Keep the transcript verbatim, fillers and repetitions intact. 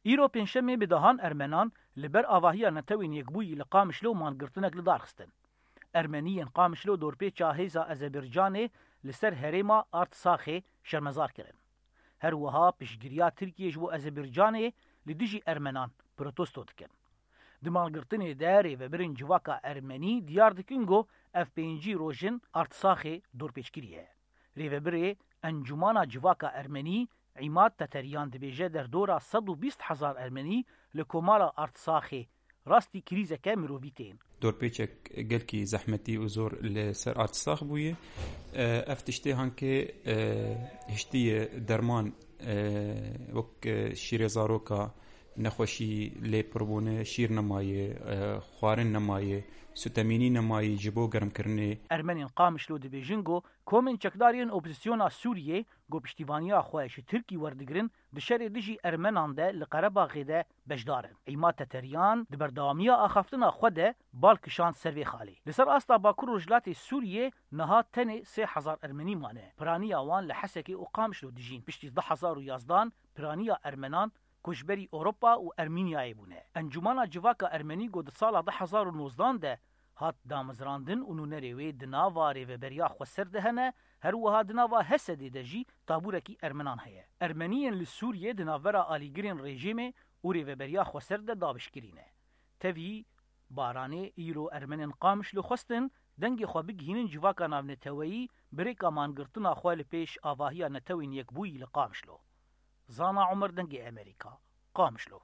Îro pêncşemê bi dehan Ermenan li ber avahiya Netewên Yekbûyî li Qamişlo mangirtinek li dar xistin. Ermeniyên Qamişlo dorpêça hêza Ezebircanê li ser herêma Artsaxê şermezar kirin. Her wiha piştgiriya Tirkiyê ji bo Ezebircanê li dijî Ermenan protesto dikin. Di mangirtinê de rêvebirên civaka Ermenî diyar dikin ku ev pêncî rojin Artsaxê dorpêç kiriye. Rêvebirê Encûmana Civaka Ermenî Îmad Teteriyan dibêje derdora sed û bîst hezar Ermenî li komara Artsaxê rastî krîzeke mirovî tên. Dorpêçek gelkî zehmetî û zor li ser Artsax bûye. E, ev tiştê hankê, e, hiştiye derman, e, wek, e, şîrê zaroka, nexweşî lê pirbûne, şîr nemaye, e, xwarin nemaye, sutemînî nemaye ji bo germkirinê. Ermenên Qamişlo dibêjin ku komên çekdar yên opozisyona Sûriyê ku piştîvaniya xwe ji Tirkî werdigirin, di şerê dijî Ermenan de li Qerebaxê de beşdar in. Îmad Teteriyan di berdewamiya axaftina xwe de bal kişand ser vê xalê. Li ser asta Bakur Rojhilatê Sûriyê niha tenê sê hezar Ermenî mane. Piraniya wan li Hesekê û Qamişlo dijîn. Piştî du hezar û yazdan piraniya Ermenan koçberî Ewropa û Ermînyayê bûne. Encûmana Civaka Ermenî ku di sala du hezar û nozdan de hat damezrandin û nûnerê wê di nava Rêveberiya Xweser de hene, her wiha di nava Hesedê de jî tabûrekî Ermenan heye. Ermeniyên li Sûriyê di navbera alîgirên rejîmê û Rêveberiya Xweser de dabişkirî ne. Tevî Baranê îro Ermenên Qamişlo xwestin dengê xwe bigihînin civaka navneteweyî bi rêka mangirtina xwe li pêş avahiya Netewên Yekbûyî li Qamişlo. Zana Omer, Dengê Emerîka, Qamişlo.